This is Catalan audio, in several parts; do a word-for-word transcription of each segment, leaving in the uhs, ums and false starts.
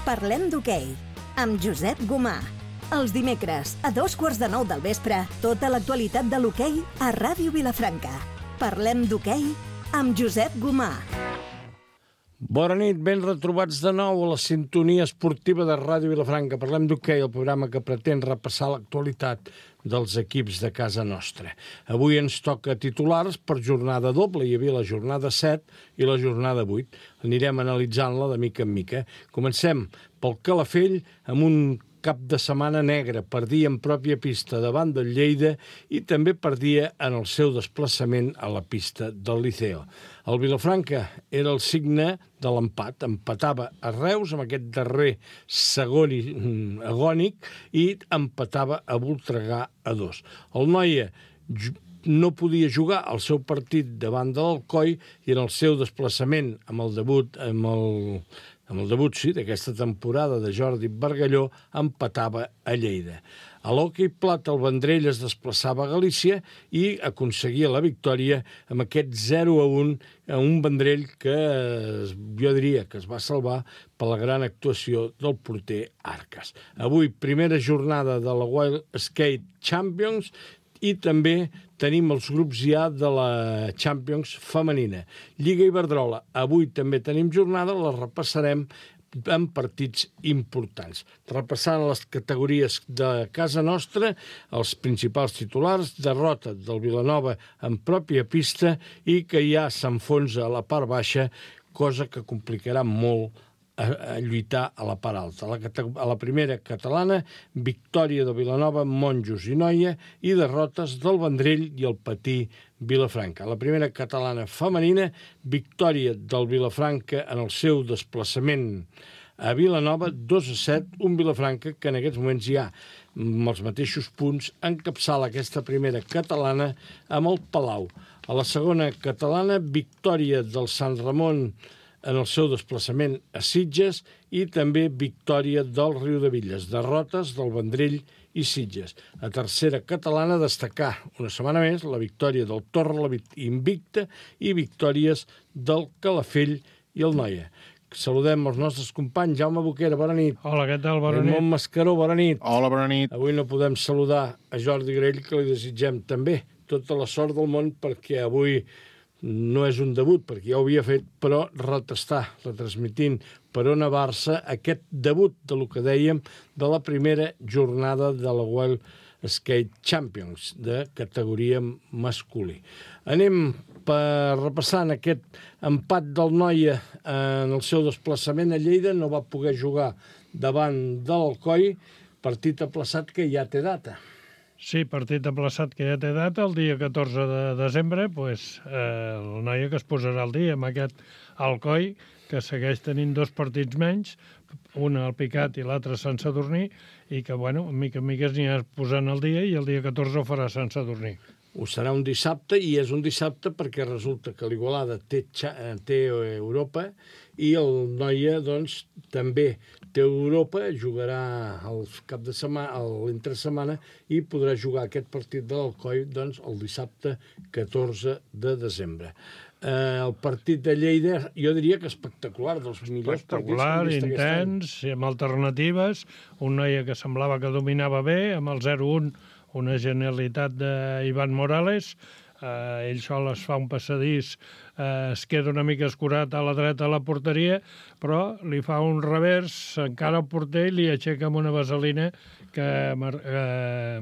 Parlem d'hoquei, amb Josep Gomà. Els dimecres, a dos quarts de nou del vespre, tota l'actualitat de l'hoquei a Ràdio Vilafranca. Parlem d'hoquei amb Josep Gomà. Bona nit, ben retrobats de nou a la sintonia esportiva de Ràdio Vilafranca. Parlem d'hoquei, el programa que pretén repassar l'actualitat dels equips de casa nostra. Avui ens toca titulars per jornada doble. Hi havia la jornada set i la jornada vuit. Anirem analitzant-la de mica en mica. Comencem pel Calafell amb un cap de setmana negre. Perdia en pròpia pista davant del Lleida i també perdia en el seu desplaçament a la pista del Liceo. El Vilafranca era el signe de l'empat. Empatava a Reus amb aquest darrer segon agònic i empatava a Voltregà a dos. El Noia no podia jugar el seu partit davant de l'Alcoi i en el seu desplaçament amb el debut amb el amb el debut, sí, d'aquesta temporada de Jordi Bargalló, empatava a Lleida. A l'hoquei plata el Vendrell es desplaçava a Galícia i aconseguia la victòria amb aquest zero a un a un Vendrell que jo diria que es va salvar per la gran actuació del porter Arcas. Avui, primera jornada de la Wild Skate Champions i també tenim els grups ja de la Champions femenina. Lliga Iberdrola, avui també tenim jornada, la repassarem en partits importants. Repassant les categories de casa nostra, els principals titulars, derrota del Vilanova en pròpia pista i que ja s'enfonsa a la part baixa, cosa que complicarà molt a, a lluitar a la part alta. A la, a la primera catalana, victòria de Vilanova, Monjos i Noia i derrotes del Vendrell i el Patí Vilafranca. A la primera catalana femenina, victòria del Vilafranca en el seu desplaçament a Vilanova, dos a set, un Vilafranca que en aquests moments ja amb els mateixos punts encapçala aquesta primera catalana amb el Palau. A la segona catalana, victòria del Sant Ramon en el seu desplaçament a Sitges i també victòria del Riudebitlles, derrotes del Vendrell i Sitges. A tercera catalana, destacar una setmana més la victòria del Torrelavit invicta i victòries del Calafell i el Noia. Saludem els nostres companys. Jaume Boquera, bona nit. Hola, què tal? Bona nit. Raimon Mascaró, bona nit. Hola, bona nit. Avui no podem saludar a Jordi Grell, que li desitgem també tota la sort del món, perquè avui no és un debut, perquè ja ho havia fet, però retestar, retransmitint per Ona Barça aquest debut de lo que dèiem de la primera jornada de la Wild Skate Champions de categoria masculí. Anem per repassant aquest empat del Noia en el seu desplaçament a Lleida. No va poder jugar davant de l'Alcoi, partit aplaçat que ja té data. Sí, partit aplaçat que ja té data, el dia catorze de desembre, pues, eh, el Noia que es posarà al dia amb aquest Alcoi, que segueix tenint dos partits menys, un al Picat i l'altre a Sant Sadurní, i que, bueno, mica en mica es anirà posant al dia i el dia catorze ho farà a Sant Sadurní. Ho serà un dissabte, i és un dissabte perquè resulta que l'Igualada té, té Europa i el Noia, doncs, també té Europa, jugarà el cap de setmana, l'entresetmana, i podrà jugar aquest partit de l'Alcoi, doncs, el dissabte catorze de desembre. Eh, el partit de Lleida, jo diria que espectacular, dels millors espectacular, partits que he vist intens, i amb alternatives, un Noia que semblava que dominava bé, amb el zero un, una genialitat d'Ivan Morales, eh, ell sol es fa un passadís, eh, es queda una mica escurat a la dreta a la porteria, però li fa un revers, encara al porter i li aixeca amb una vaselina que eh,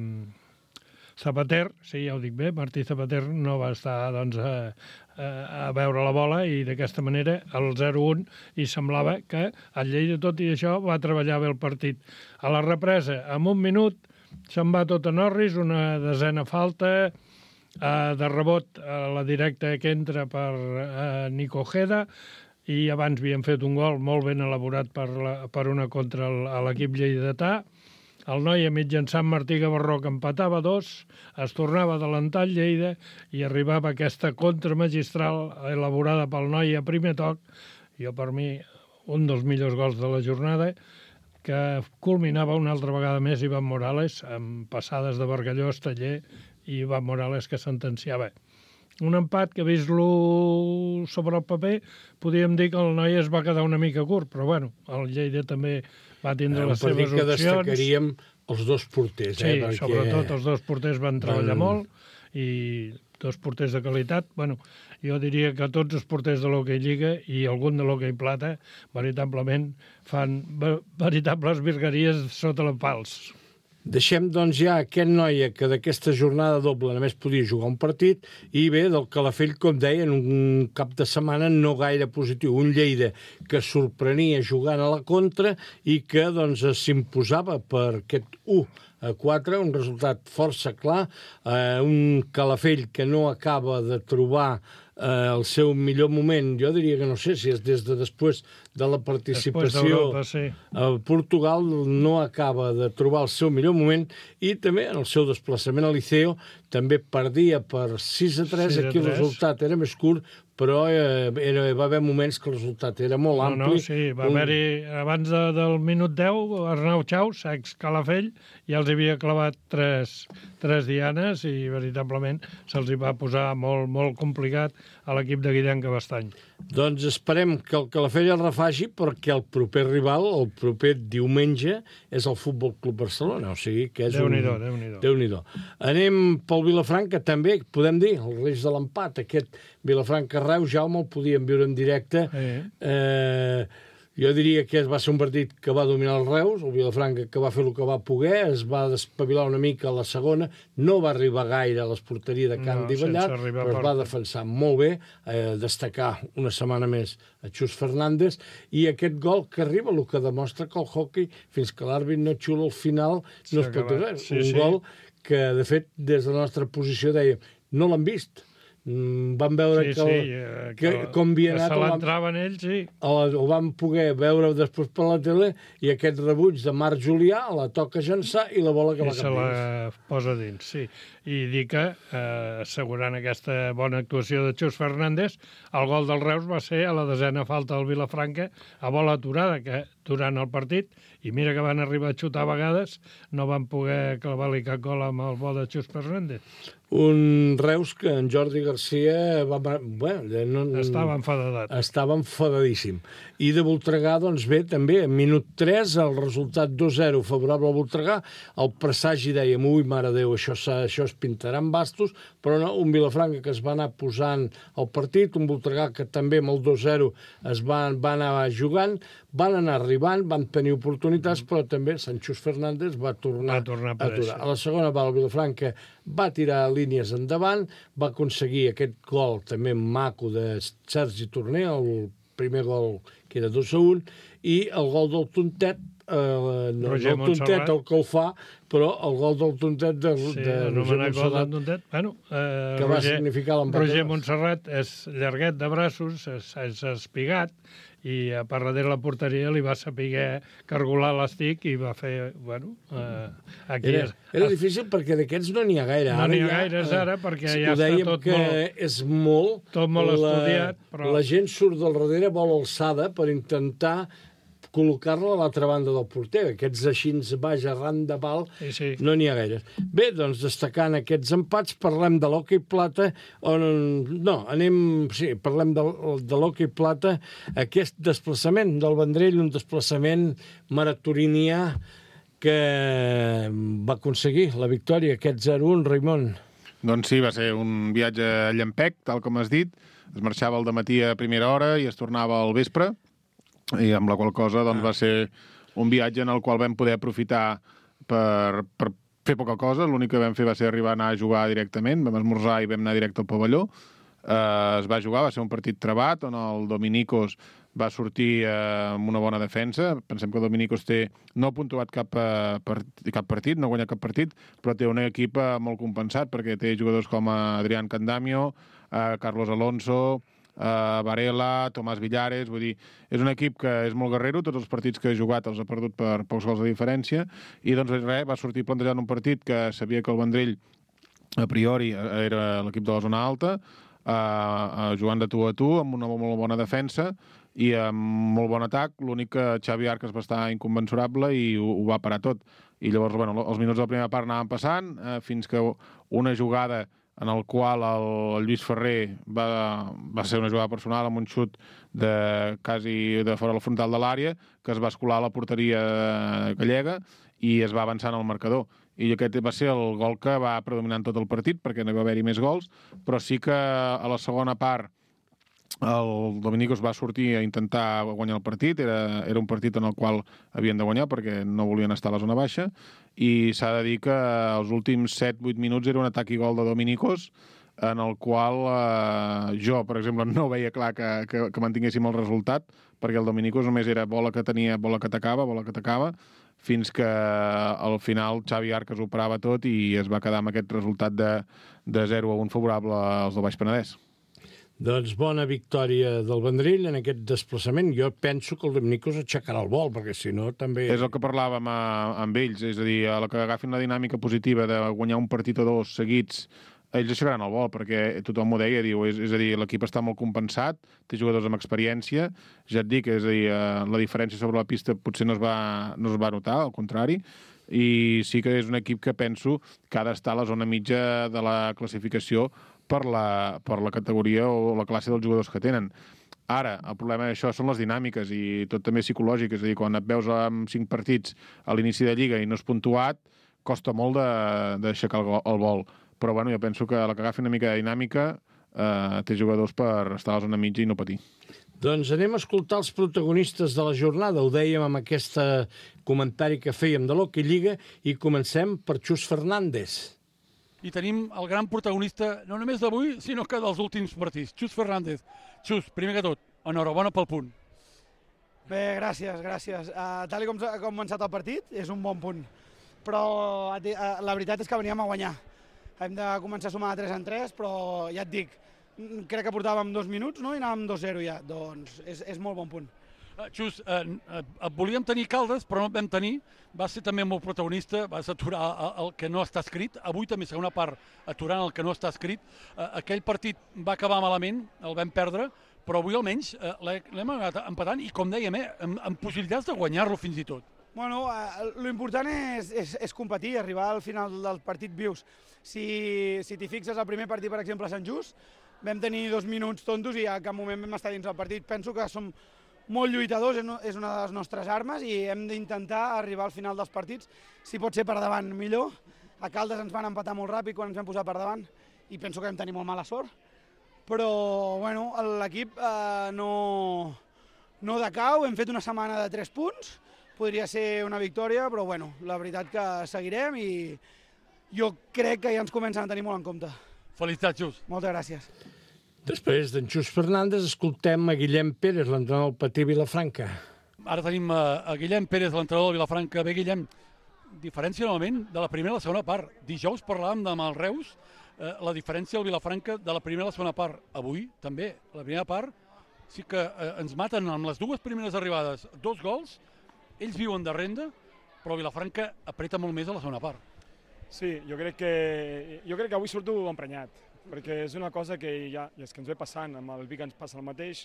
Zapater, sí, ja ho dic bé, Martí Zapater no va estar doncs, a, a, a veure la bola i d'aquesta manera el zero un i semblava que el Lleida tot i això va treballar bé el partit. A la represa, en un minut, se'n va tot a Norris, una desena falta, eh, de rebot a la directa que entra per eh, Nico Ojeda, i abans havien fet un gol molt ben elaborat per, la, per una contra el, a l'equip lleidatà. El Noia mitjançant Martí Gavarró que empatava dos, es tornava a adelantar el Lleida i arribava aquesta contra magistral elaborada pel Noia a primer toc. Jo, per mi, un dels millors gols de la jornada, que culminava una altra vegada més Ivan Morales amb passades de Bargalló, Esteller i Ivan Morales que sentenciava. un empat que, vist-lo sobre el paper, podríem dir que el noi es va quedar una mica curt, però bueno, el Lleida també va tindre les seves opcions. Un partit que destacaríem els dos porters. Sí, eh, perquè... sobretot els dos porters van treballar van... molt, i dos porters de qualitat. Bueno, jo diria que tots els porters de l'Hockey Lliga i algun de l'Hockey Plata veritablement fan veritables virgueries sota els pals. Deixem, doncs, ja aquest noia que d'aquesta jornada doble només podia jugar un partit i bé, del Calafell, com deia, en un cap de setmana no gaire positiu. Un Lleida que sorprenia jugant a la contra i que, doncs, s'imposava per aquest u a quatre, un resultat força clar, eh, un Calafell que no acaba de trobar eh, el seu millor moment. Jo diria que no sé si és des de després de la participació sí. a Portugal, no acaba de trobar el seu millor moment, i també en el seu desplaçament a Liceo també perdia per sis a tres, aquí el resultat era més curt, però eh, era, va haver moments que el resultat era molt no, ampli. No, sí, va un... haver-hi, abans de, del minut deu, Arnau Chaus, ex Calafell, ja els havia clavat tres, tres dianes i veritablement se'ls hi va posar molt, molt complicat a l'equip de Guillem Cabestany. Doncs esperem que el Calafell el refaci, perquè el proper rival, el proper diumenge, és el Futbol Club Barcelona, o sigui que és Déu-n'hi-do, un... Déu-n'hi-do. Déu-n'hi-do. Anem pel Vilafranca, també, podem dir, el Reis de l'empat, aquest Vilafranca-Reus, Jaume, el podíem viure en directe. Sí. Eh, jo diria que va ser un partit que va dominar el Reus, el Vilafranca que va fer el que va poder, es va despavilar una mica a la segona, no va arribar gaire a l'esporteria de Can no, Divallat, però es va defensar molt bé, eh, destacar una setmana més a Xus Fernández, i aquest gol que arriba, el que demostra que el hockey, fins que l'àrbit no xula al final, no es pot dir res. Sí, un sí. gol que, de fet, des de la nostra posició dèiem, no l'han vist. Mm, vam veure sí, que, el, sí, eh, que, que com havia anat... Que se l'entraven ells, sí. El, el vam poder veure després per la tele, i aquest rebuig de Marc Julià la toca llançar i la bola que va cap dins. I se la posa dins, sí. I dir que, eh, assegurant aquesta bona actuació de Xus Fernández, el gol del Reus va ser a la desena falta del Vilafranca, a bola aturada, que durant el partit, i mira que van arribar a xutar a vegades, no van poder clavar-li cap gol amb el bo de Xus Fernández. Un Reus que en Jordi Garcia va... Bueno, no, estava enfadat. Estava enfadadíssim. I de Voltregà, doncs bé, també, en minut tres, el resultat dos a zero favorable a Voltregà, el presagi dèiem, ui, mare Déu, això, això es pintarà en bastos, però no, un Vilafranca que es va anar posant al partit, un Voltregà que també amb el dos a zero es va, va anar jugant, van anar arribant, van tenir oportunitats, però també Sanchus Fernández va tornar, va tornar a aturar. A la segona va el Vilafranca, va tirar línies endavant, va aconseguir aquest gol també maco de Sergi Torner, el primer gol que era dos a un, i el gol del Tontet, eh, no Roger el Tontet el que el fa, però el gol del Tontet de, sí, de Roger Montserrat, Tontet. Bueno, eh, que Roger, va significar l'empat. Roger Montserrat és llarguet de braços, és, és espigat, i a per darrere la porteria li va saber cargolar l'estic i va fer, bueno... Eh, aquí era, era difícil perquè d'aquests no n'hi ha gaire. No n'hi ha ja, gaires ara, perquè sí, ja està tot que molt... és molt... Tot molt la, estudiat, però... La gent surt del darrere, vol alçada per intentar col·locar-la a l'altra banda del porter. Aquests així baix arran de pal sí, sí. no n'hi ha gaire. Bé, doncs, destacant aquests empats, parlem de l'Hockey Plata, on, no, anem, sí, parlem de, de l'Hockey Plata, aquest desplaçament del Vendrell, un desplaçament maratorinià que va aconseguir la victòria, aquest zero a un, Raimon. Doncs sí, va ser un viatge a llampec, tal com has dit. Es marxava al dematí a primera hora i es tornava al vespre, i amb la qual cosa doncs, va ser un viatge en el qual vam poder aprofitar per, per fer poca cosa. L'únic que vam fer va ser arribar a anar a jugar directament, vam esmorzar i vam anar directe al pavelló. Eh, es va jugar, va ser un partit trebat, on el Dominicos va sortir eh, amb una bona defensa. Pensem que el Dominicos té, no ha puntuat cap, eh, part, cap partit, no ha guanyat cap partit, però té un equip eh, molt compensat, perquè té jugadors com Adrián Candamio, eh, Carlos Alonso, Uh, Varela, Tomàs Villares, vull dir, és un equip que és molt guerrero, tots els partits que ha jugat els ha perdut per pocs gols de diferència, i doncs res, va sortir plantejant un partit que sabia que el Vendrell a priori era l'equip de la zona alta, uh, uh, jugant de tu a tu, amb una molt bona defensa i amb molt bon atac. L'únic que Xavi Arcas va estar inconmensurable i ho, ho va parar tot. I llavors, bueno, els minuts de la primera part anaven passant, uh, fins que una jugada en el qual el, el Lluís Ferrer va, va ser una jugada personal amb un xut de quasi de fora del frontal de l'àrea, que es va escolar a la porteria gallega i es va avançar en el marcador. I aquest va ser el gol que va predominar tot el partit, perquè no hi va haver-hi més gols, però sí que a la segona part el Dominicos va sortir a intentar guanyar el partit, era, era un partit en el qual havien de guanyar perquè no volien estar a la zona baixa, i s'ha de dir que els últims set vuit minuts era un atac i gol de Dominicos, en el qual eh, jo, per exemple, no veia clar que, que, que mantinguéssim el resultat, perquè el Dominicos només era bola que tenia, bola que atacava, bola que atacava, fins que al final Xavi Arcas ho parava tot i es va quedar amb aquest resultat de, de zero a un favorable als del Baix Penedès. Doncs bona victòria del Vendrell en aquest desplaçament. Jo penso que el Dominicos aixecarà el vol, perquè si no també... És el que parlàvem a, amb ells, és a dir, a la que agafin la dinàmica positiva de guanyar un partit o dos seguits, ells aixecaran el vol, perquè tothom m'ho deia, diu, és, és a dir, l'equip està molt compensat, té jugadors amb experiència, ja et dic, és a dir, la diferència sobre la pista potser no es va, no es va notar, al contrari, i sí que és un equip que penso que ha d'estar a la zona mitja de la classificació per la, per la categoria o la classe dels jugadors que tenen. Ara, el problema d'això són les dinàmiques i tot també psicològic, és a dir, quan et veus amb cinc partits a l'inici de Lliga i no és puntuat, costa molt d'aixecar el, el vol. Però bueno, jo penso que la que agafi una mica de dinàmica eh, té jugadors per estar a la zona mitja i no patir. Doncs anem a escoltar els protagonistes de la jornada. Ho dèiem amb aquest comentari que fèiem de l'Hockey Lliga i comencem per Xus Fernández. I tenim el gran protagonista, no només d'avui, sinó que dels últims partits. Xus Fernández. Xus, primer que tot, enhorabona pel punt. Bé, gràcies, gràcies. Uh, tal com ha començat el partit, és un bon punt. Però uh, la veritat és que veníem a guanyar. Hem de començar a sumar de tres en tres, però ja et dic, crec que portàvem dos minuts, no? I anàvem dos zero ja. Doncs és, és molt bon punt. Uh, Xus, uh, uh, et volíem tenir Caldes, però no et vam tenir. Vas ser també molt protagonista, vas aturar el, el que no està escrit. Avui també segona part aturant el que no està escrit. Uh, aquell partit va acabar malament, el vam perdre, però avui almenys uh, l'hem anat empatant i, com dèiem, eh, amb, amb possibilitats de guanyar-lo fins i tot. Bueno, eh, l'important és, és, és competir, arribar al final del partit vius. Si, si t'hi fixes, el primer partit, per exemple, a Sant Just, vam tenir dos minuts tontos i a cap moment vam estar dins del partit. Penso que som molt lluitadors, és una de les nostres armes i hem d'intentar arribar al final dels partits, si pot ser per davant millor. A Caldes ens van empatar molt ràpid quan ens vam posar per davant i penso que vam tenir molt mala sort. Però bueno, l'equip eh, no, no decau, hem fet una setmana de tres punts, podria ser una victòria, però bueno, la veritat que seguirem i jo crec que ja ens comencen a tenir molt en compte. Felicitats, Xus. Moltes gràcies. Després d'en Xus Fernández escoltem a Guillem Pérez, l'entrenador del Patí Vilafranca. Ara tenim a, a Guillem Pérez, l'entrenador del Vilafranca. Bé, Guillem, diferència novament de la primera a la segona part. Dijous parlàvem amb el Reus, eh, la diferència del Vilafranca de la primera a la segona part. Avui, també, la primera part, sí que eh, ens maten amb les dues primeres arribades dos gols, ells viuen de renda, però Vilafranca apreta molt més a la segona part. Sí, jo crec que, jo crec que avui surto emprenyat, perquè és una cosa que ja és que ens ve passant, amb el Vic ens passa el mateix,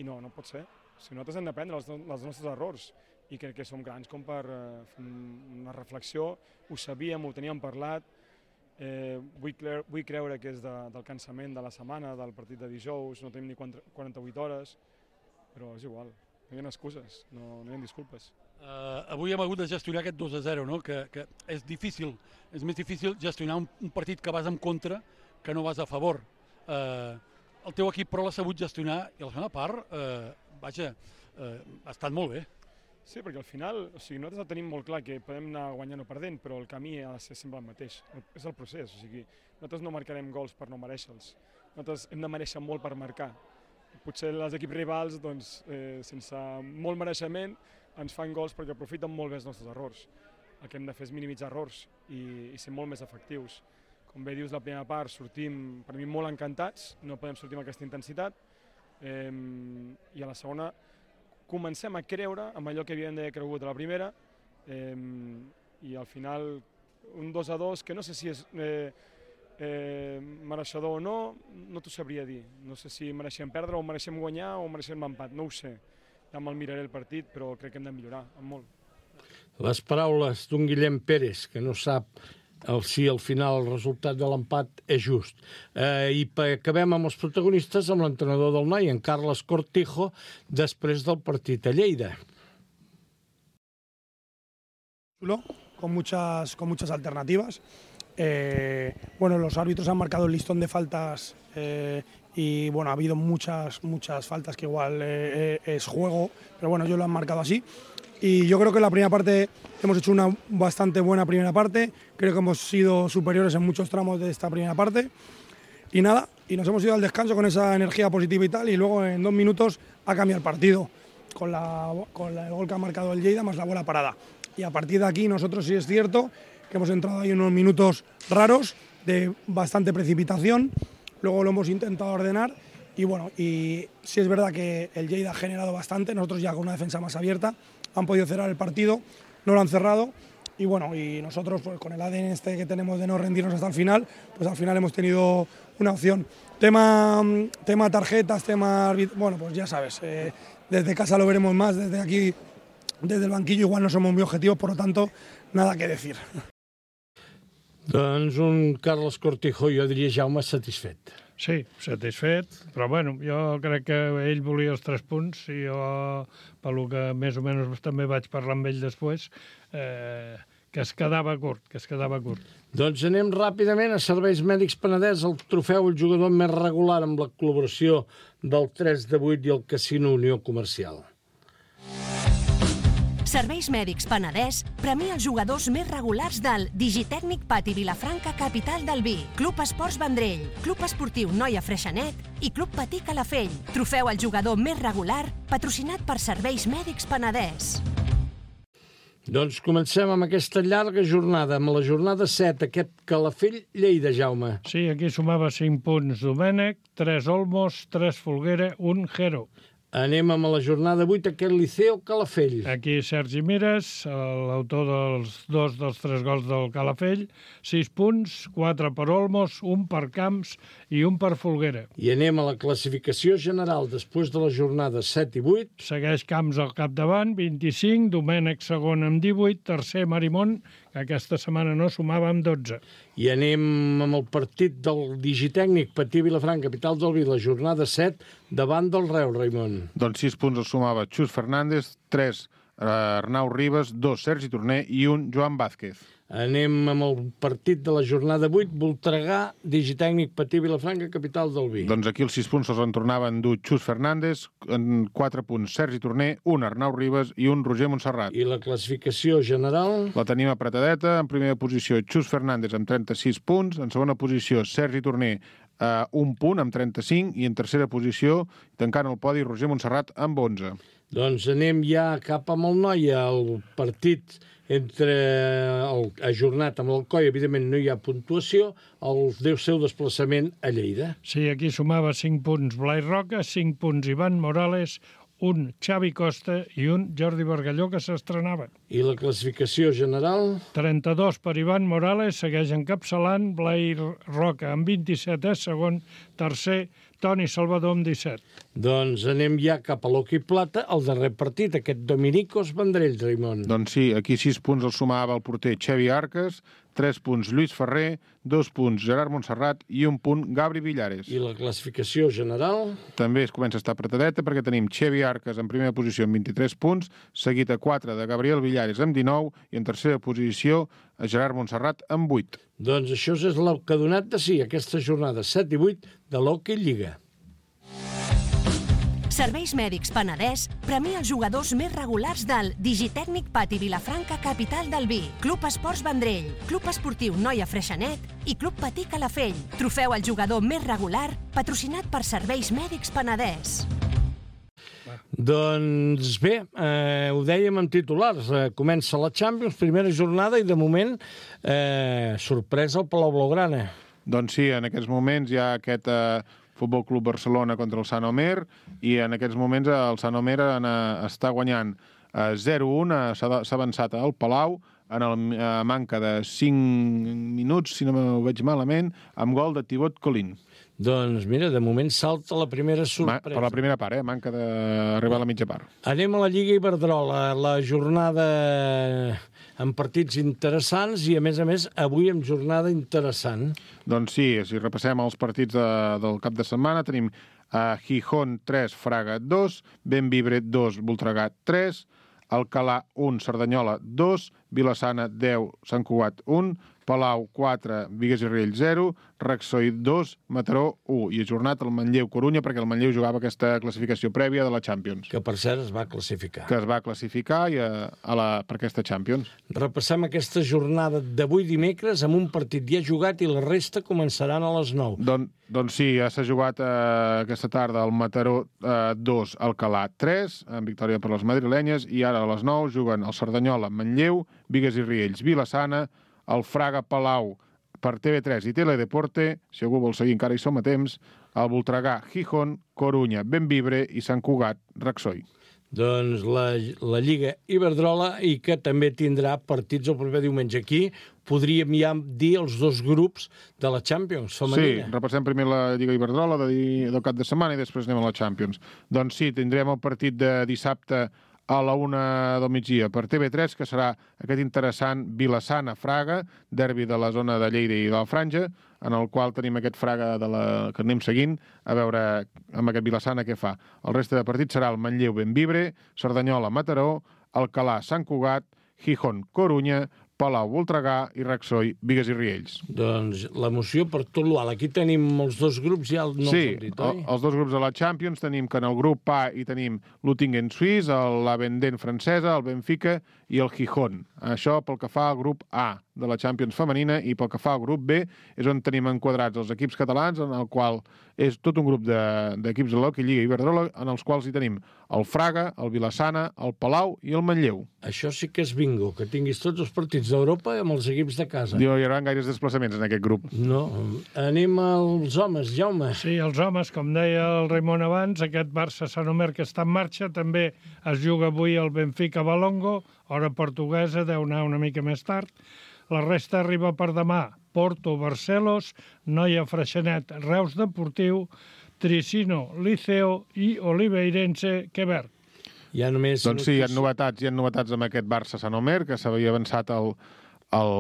i no, no pot ser. Si nosaltres hem d'aprendre els, els nostres errors, i crec que som grans com per eh, fer una reflexió, ho sabíem, ho teníem parlat, eh, vull, cre vull creure que és de, del cansament de la setmana, del partit de dijous, no tenim ni quaranta-vuit hores, però és igual, no hi ha excuses, no, no hi ha disculpes. Uh, avui hem hagut de gestionar aquest dos a zero, no? que, que és difícil, és més difícil gestionar un, un partit que vas en contra que no vas a favor. Uh, el teu equip però l'ha sabut gestionar i a la segona part, uh, vaja, uh, ha estat molt bé. Sí, perquè al final, o sigui, nosaltres tenim molt clar que podem anar guanyant o perdent, però el camí ha de ser sempre el mateix, és el procés, o sigui, nosaltres no marcarem gols per no mereixer-los, nosaltres hem de mereixer molt per marcar. Potser els equips rivals, doncs, eh, sense molt mereixement, ens fan gols perquè aprofiten molt bé els nostres errors. El que hem de fer és minimitzar errors i, i ser molt més efectius. Com bé dius, la primera part sortim, per mi, molt encantats, no podem sortir amb aquesta intensitat, eh, i a la segona comencem a creure amb allò que havíem d'haver cregut a la primera, eh, i al final un dos a dos, que no sé si és eh, eh, mereixedor o no, no t'ho sabria dir. No sé si mereixem perdre o mereixem guanyar o mereixem empat, no ho sé. Ja me'l miraré el partit, però crec que hem de millorar, en molt. Les paraules d'un Guillem Pérez, que no sap el, si al final el resultat de l'empat és just. Eh, I acabem amb els protagonistes, amb l'entrenador del noi, en Carles Cortijo, després del partit a Lleida. Con muchas, con muchas alternativas. Eh, bueno, los árbitros han marcado el listón de faltas eh, y bueno, ha habido muchas, muchas faltas que igual eh, es juego, pero bueno, ellos lo han marcado así. Y yo creo que en la primera parte hemos hecho una bastante buena primera parte, creo que hemos sido superiores en muchos tramos de esta primera parte. Y nada, y nos hemos ido al descanso con esa energía positiva y tal, y luego en dos minutos ha cambiado el partido con, la, con la, el gol que ha marcado el Lleida más la bola parada. Y a partir de aquí nosotros sí es cierto que hemos entrado ahí en unos minutos raros de bastante precipitación, luego lo hemos intentado ordenar y bueno, y sí es verdad que el Lleida ha generado bastante, nosotros ya con una defensa más abierta han podido cerrar el partido, no lo han cerrado y bueno, y nosotros pues con el A D N este que tenemos de no rendirnos hasta el final, pues al final hemos tenido una opción. Tema, tema tarjetas, tema, bueno pues ya sabes, eh, desde casa lo veremos más, desde aquí, desde el banquillo igual no somos muy objetivos, por lo tanto, nada que decir. Doncs un Carles Cortijo, jo diria, Jaume, satisfet. Sí, satisfet, però bueno, jo crec que ell volia els tres punts i jo, pel que més o menys també vaig parlar amb ell després, eh, que es quedava curt, que es quedava curt. Doncs anem ràpidament a Serveis Mèdics Penedès, el trofeu el jugador més regular amb la col·laboració del tres de vuit i el Casino Unió Comercial. Serveis Mèdics Penedès premia els jugadors més regulars del Digitècnic Pati Vilafranca, capital del vi, Club Esports Vendrell, Club Esportiu Noia Freixenet i Club Patí Calafell. Trofeu al jugador més regular, patrocinat per Serveis Mèdics Penedès. Doncs comencem amb aquesta llarga jornada, amb la jornada set, aquest Calafell-Lleida, Jaume. Sí, aquí sumava cinc punts Domènec, tres Olmos, tres Folguera, un Jero. Anem amb la jornada vuit, aquest Liceo Calafell. Aquí Sergi Mires, l'autor dels dos dels tres gols del Calafell, sis punts, quatre per Olmos, un per Camps i un per Folguera. I anem a la classificació general després de la jornada set i vuit. Segueix Camps al capdavant, vint-i-cinc, Domènec segon amb divuit, tercer Marimón, que aquesta setmana no sumava amb dotze. I anem amb el partit del Digitècnic Patí Vilafranca, capital del vi, la jornada set, davant del Reu, Raimon. Doncs sis punts els sumava Xus Fernández, tres Arnau Ribas, dos Sergi Torner i un Joan Vázquez. Anem amb el partit de la jornada vuit, Voltregà, Digitècnic Patí Vilafranca, capital del vi. Doncs aquí els sis punts els en tornaven dur Xus Fernández, en quatre punts Sergi Torner, un Arnau Ribas i un Roger Montserrat. I la classificació general? La tenim apretadeta, en primera posició Xus Fernández amb trenta-sis punts, en segona posició Sergi Torner Uh, un punt amb trenta-cinc i en tercera posició, tancant el podi, Roger Montserrat amb onze. Doncs anem ja cap amb el Noia, el partit entre el ajornat amb l'Alcoi, evidentment no hi ha puntuació, el deu seu desplaçament a Lleida. Sí, aquí sumava cinc punts Blai Roca, cinc punts Ivan Morales, un Xavi Costa i un Jordi Bargalló, que s'estrenaven. I la classificació general? trenta-dos per Ivan Morales, segueix encapçalant, Blai Roca amb vint-i-set és segon, tercer Toni Salvador amb disset. Doncs anem ja cap a l'Hockey Plata, el darrer partit, aquest Dominicos Vendrell, Raimon. Doncs sí, aquí sis punts el sumava el porter Xavi Arcas, tres punts Lluís Ferrer, dos punts Gerard Montserrat i un punt Gabri Villares. I la classificació general? També es comença a estar apretadeta perquè tenim Xavi Arcas en primera posició amb vint-i-tres punts, seguit a quatre de Gabriel Villares amb dinou i en tercera posició a Gerard Montserrat amb vuit. Doncs això és el que ha donat de si aquesta jornada set i vuit de l'Hockey Lliga. Serveis Mèdics Penedès premia els jugadors més regulars del Digitècnic Pati Vilafranca, capital del vi, Club Esports Vendrell, Club Esportiu Noia Freixenet i Club Patí Calafell. Trofeu al jugador més regular, patrocinat per Serveis Mèdics Penedès. Doncs bé, eh, ho dèiem en titulars, eh, comença la Champions, primera jornada i de moment eh, sorpresa al Palau Blaugrana. Doncs sí, en aquests moments hi ha aquest eh, Futbol Club Barcelona contra el Sant Omer i en aquests moments el Sant Omer eh, està guanyant eh, zero a un, eh, s'ha avançat al Palau en el eh, manca de cinc minuts, si no m'ho veig malament, amb gol de Thibaut Collin. Doncs mira, de moment salta la primera sorpresa. Per la primera part, eh? Manca d'arribar a la mitja part. Anem a la Lliga Iberdrola, la jornada amb partits interessants i, a més a més, avui amb jornada interessant. Doncs sí, si repassem els partits de, del cap de setmana, tenim a uh, Gijón tres, Fraga dos, Bembibre dos, Voltregà tres, Alcalà un, Cerdanyola dos, Vilassana deu, Sant Cugat un, Palau quatre, Bigues i Riells zero, Raxoi dos, Mataró u. I ajornat el Manlleu-Corunya perquè el Manlleu jugava aquesta classificació prèvia de la Champions. Que, per cert, es va classificar. Que es va classificar i a, a la, per aquesta Champions. Repassem aquesta jornada d'avui dimecres amb un partit ja jugat i la resta començaran a les nou. Don, doncs sí, ja s'ha jugat eh, aquesta tarda el Mataró eh, dos, Alcalà tres, en victòria per les madrilenyes, i ara a les nou juguen el Cerdanyola, Manlleu, Bigues i Riells, Vilassana, el Fraga Palau per T V tres i Teledeporte, si algú vol seguir encara hi som a temps, el Voltregà Gijón, Corunya, Bembibre i Sant Cugat, Raxoi. Doncs la, la Lliga Iberdrola i que també tindrà partits el proper diumenge. Aquí podríem ja dir els dos grups de la Champions femenina. Sí, repassem primer la Lliga Iberdrola de, del cap de setmana i després anem a la Champions. Doncs sí, tindrem el partit de dissabte a la una del migdia per T V tres, que serà aquest interessant Vilassana-Fraga, derbi de la zona de Lleida i de la Franja, en el qual tenim aquest Fraga de la... que anem seguint, a veure amb aquest Vilassana què fa. El reste de partit serà el Manlleu-Bembibre, Cerdanyola-Mataró, Alcalà-Sant Cugat, Gijón-Corunya, Palau-Voltregà i Raxoi, Bigues i Riells. Doncs l'emoció per tot l'Ual. Aquí tenim els dos grups, ja no sí, els hem dit, oi? Sí, els dos grups de la Champions tenim que en el grup A hi tenim l'Uttingen suís, l'Avenden francesa, el Benfica i el Gijón. Això pel que fa al grup A de la Champions femenina, i pel que fa al grup B és on tenim enquadrats els equips catalans, en el qual és tot un grup d'equips de, de l'Hockey Lliga Iberdrola, en els quals hi tenim el Fraga, el Vilassana, el Palau i el Manlleu. Això sí que és bingo, que tinguis tots els partits d'Europa amb els equips de casa. No hi haurà gaires desplaçaments en aquest grup. No. Anem als homes, Jaume. Sí, els homes, com deia el Raimon abans, aquest Barça-Sant Omer que està en marxa, també es juga avui el Benfica-Balongo, hora portuguesa, deu anar una mica més tard. La resta arriba per demà. Porto, Barcelos, Noia Freixenet, Reus Deportiu, Tricino, Liceo i Oliveirense, Quebec. Ja només... Doncs sí, hi ha novetats, hi ha novetats amb aquest Barça-Sant Omer, que s'havia avançat el, el,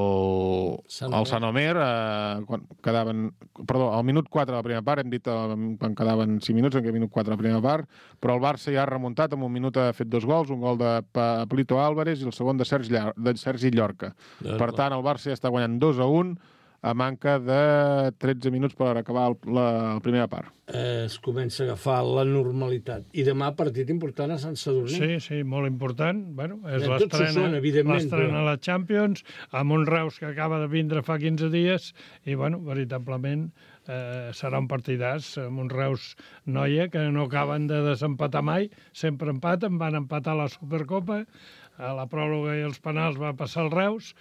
el Sant Omer, eh, quan quedaven... Perdó, al minut quatre de la primera part, hem dit eh, quan quedaven cinc minuts, en què minut quatre de la primera part, però el Barça ja ha remuntat, en un minut ha fet dos gols, un gol de Pablito Álvarez i el segon de Sergi, de Sergi Llorca. Doncs per tant, el Barça ja està guanyant dos a un, a manca de tretze minuts per acabar el, la, la primera part. Eh, es comença a agafar la normalitat. I demà partit important a Sant Sadurní. Sí, sí, molt important. Bueno, és ja, l'estrena però... a la Champions, amb un Reus que acaba de vindre fa quinze dies, i, bueno, veritablement eh, serà un partidàs amb un Reus Noia que no acaben de desempatar mai, sempre empaten, van empatar la Supercopa, a la pròrroga i els penals va passar el Reus,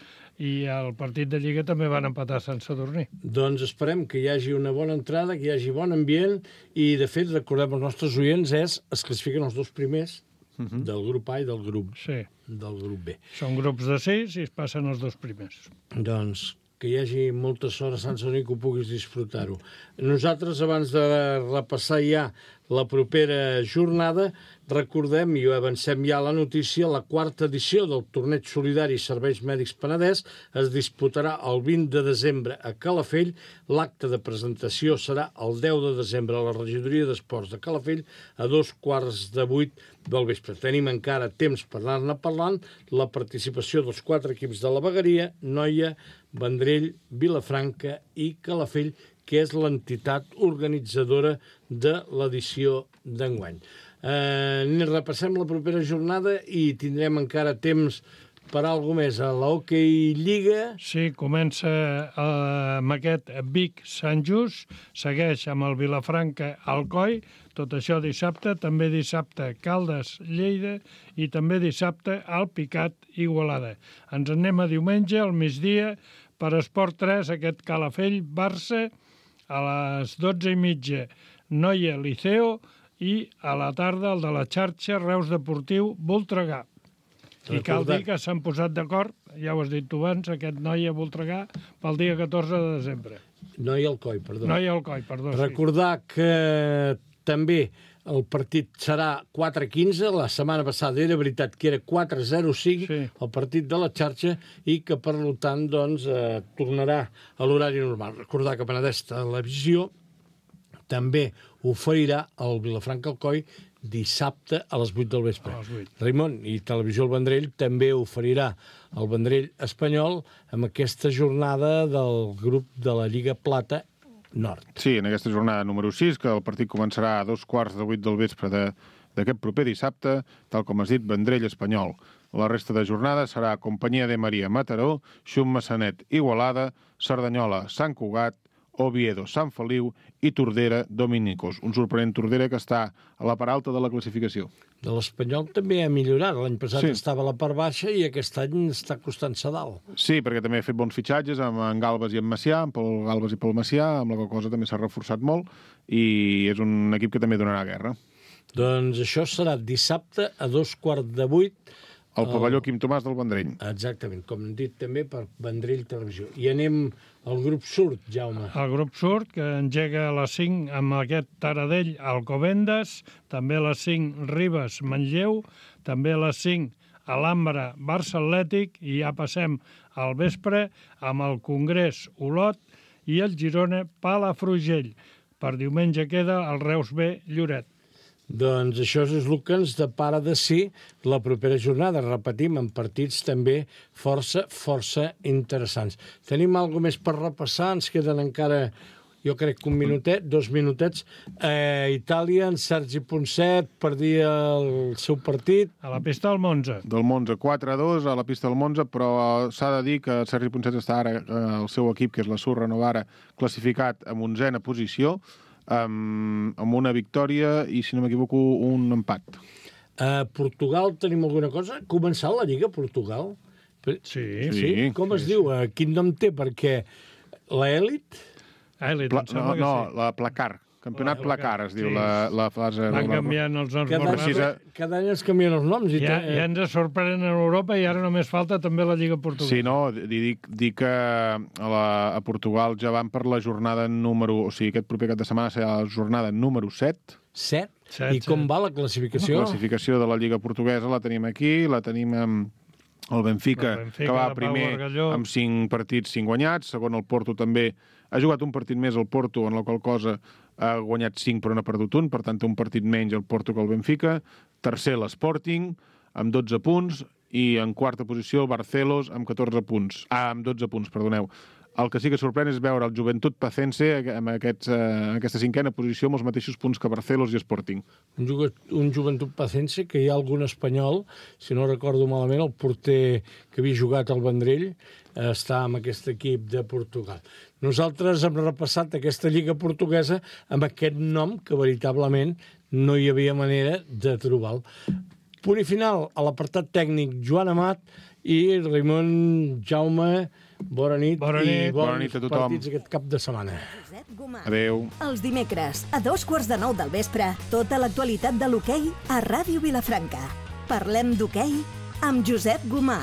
i el partit de Lliga també van empatar a Sant Sadurní. Doncs esperem que hi hagi una bona entrada, que hi hagi bon ambient, i de fet, recordem els nostres oients, és, es classifiquen els dos primers uh -huh. del grup A i del grup, sí. del grup B. Són grups de sis i es passen els dos primers. Doncs que hi hagi molta sort a Sant Sadurní, que ho puguis disfrutar-ho. Nosaltres, abans de repassar ja la propera jornada, recordem, i avancem ja a la notícia, la quarta edició del Torneig Solidari Serveis Mèdics Penedès es disputarà el vint de desembre a Calafell. L'acte de presentació serà el deu de desembre a la Regidoria d'Esports de Calafell a dos quarts de vuit del vespre. Tenim encara temps per anar-ne parlant. La participació dels quatre equips de la Vegueria, Noia, Vendrell, Vilafranca i Calafell, que és l'entitat organitzadora de l'edició d'enguany. Eh, repassem la propera jornada i tindrem encara temps per alguna més. A l'Hockey Lliga... Sí, comença eh, amb aquest Vic-Sant Just, segueix amb el Vilafranca-Alcoi, tot això dissabte, també dissabte Caldes-Lleida i també dissabte Alpicat-Igualada. Ens anem a diumenge, al migdia, per Esport tres, aquest Calafell-Barça, a les dotze i mitja Noia-Liceo i a la tarda el de la xarxa Reus Deportiu-Voltregà. I cal dir que s'han posat d'acord, ja ho has dit tu abans, aquest Noia-Voltregà pel dia catorze de desembre. Noia-Alcoi, perdó. Noia-Alcoi, perdó. Recordar sí. que també el partit serà quatre quinze, la setmana passada era veritat que era quatre zero cinc, sí. el partit de la xarxa, i que, per tant, doncs, eh, tornarà a l'horari normal. Recordar que Penedès Televisió també oferirà el Vilafranca Alcoi dissabte a les vuit del vespre. Raimon, i Televisió El Vendrell també oferirà el Vendrell Espanyol amb aquesta jornada del grup de la Lliga Plata Nord. Sí, en aquesta jornada número sis, que el partit començarà a dos quarts de vuit del vespre d'aquest proper dissabte, tal com has dit, Vendrell Espanyol. La resta de jornada serà Companyia de Maria Mataró, Xum Massanet Igualada, Cerdanyola Sant Cugat, Oviedo, Sant Feliu i Tordera, Dominicos. Un sorprenent Tordera que està a la part alta de la classificació. De l'Espanyol també ha millorat. L'any passat sí. estava a la part baixa i aquest any està costant-se dalt. Sí, perquè també ha fet bons fitxatges amb en Galbas i en Macià, amb Pol Galbas i Pol Macià, amb la qual cosa també s'ha reforçat molt i és un equip que també donarà guerra. Doncs això serà dissabte a dos quarts de vuit al pavelló Quim Tomàs del Vendrell. Exactament, com hem dit també per Vendrell Televisió. I anem al grup surt, Jaume. El grup surt, que engega a les cinc amb aquest Taradell Alcobendas, també a les cinc Ribes Manlleu, també a les cinc Alhambra Barça Atlètic, i ja passem al vespre amb el Congrés Olot i el Girona Palafrugell. Per diumenge queda el Reus B Lloret. Doncs això és el que ens depara de si la propera jornada. Repetim, en partits també força, força interessants. Tenim alguna més per repassar? Ens queden encara, jo crec que un minutet, dos minutets. A Itàlia, en Sergi Ponset perdia el seu partit. A la pista del Monza. Del Monza, quatre a dos a la pista del Monza, però s'ha de dir que Sergi Ponset està ara, el seu equip, que és la Surra Novara, classificat en onzena posició, Amb, amb una victòria i, si no m'equivoco, un empat. A Portugal tenim alguna cosa? Ha començat la Lliga a Portugal? Sí. sí. Com es sí, diu? Sí. Quin nom té? Perquè l'Elit... Elit, Pla, no, no, sí. la Placar. Campionat la Placar, es diu, sí. la, la fase... Van canviant els noms. Cada, precisa... cada any es canvien els noms. I ja, te... ja ens sorprenen a Europa i ara només falta també la Lliga Portuguesa. Sí, no, dic, dic que a, la, a Portugal ja van per la jornada número... O sigui, aquest proper cap de setmana serà la jornada número set. set? set I com set. va la classificació? La classificació de la Lliga Portuguesa la tenim aquí, la tenim amb el Benfica, el Benfica que va primer amb cinc partits, cinc guanyats. Segon, el Porto també ha jugat un partit més el Porto, en la qual cosa ha guanyat cinc però n'ha perdut un, per tant un partit menys el Porto que el Benfica. Tercer, l'Sporting, amb dotze punts, i en quarta posició el Barcelos amb catorze punts. Ah, amb dotze punts, perdoneu. El que sí que sorprèn és veure el Joventut Pacense amb aquests, eh, en aquesta cinquena posició amb els mateixos punts que Barcelos i Sporting. Un, un Joventut Pacense que hi ha algun espanyol, si no recordo malament, el porter que havia jugat al Vendrell, eh, està amb aquest equip de Portugal. Nosaltres hem repassat aquesta Lliga Portuguesa amb aquest nom que veritablement no hi havia manera de trobar-lo. Punt i final a l'apartat tècnic Joan Amat i Raimon Jaume. Bona nit, bona nit. i bons bona nit a tothom. partits aquest cap de setmana. Adéu. Els dimecres, a dos quarts de nou del vespre, tota l'actualitat de l'hoquei a Ràdio Vilafranca. Parlem d'hoquei amb Josep Gomà.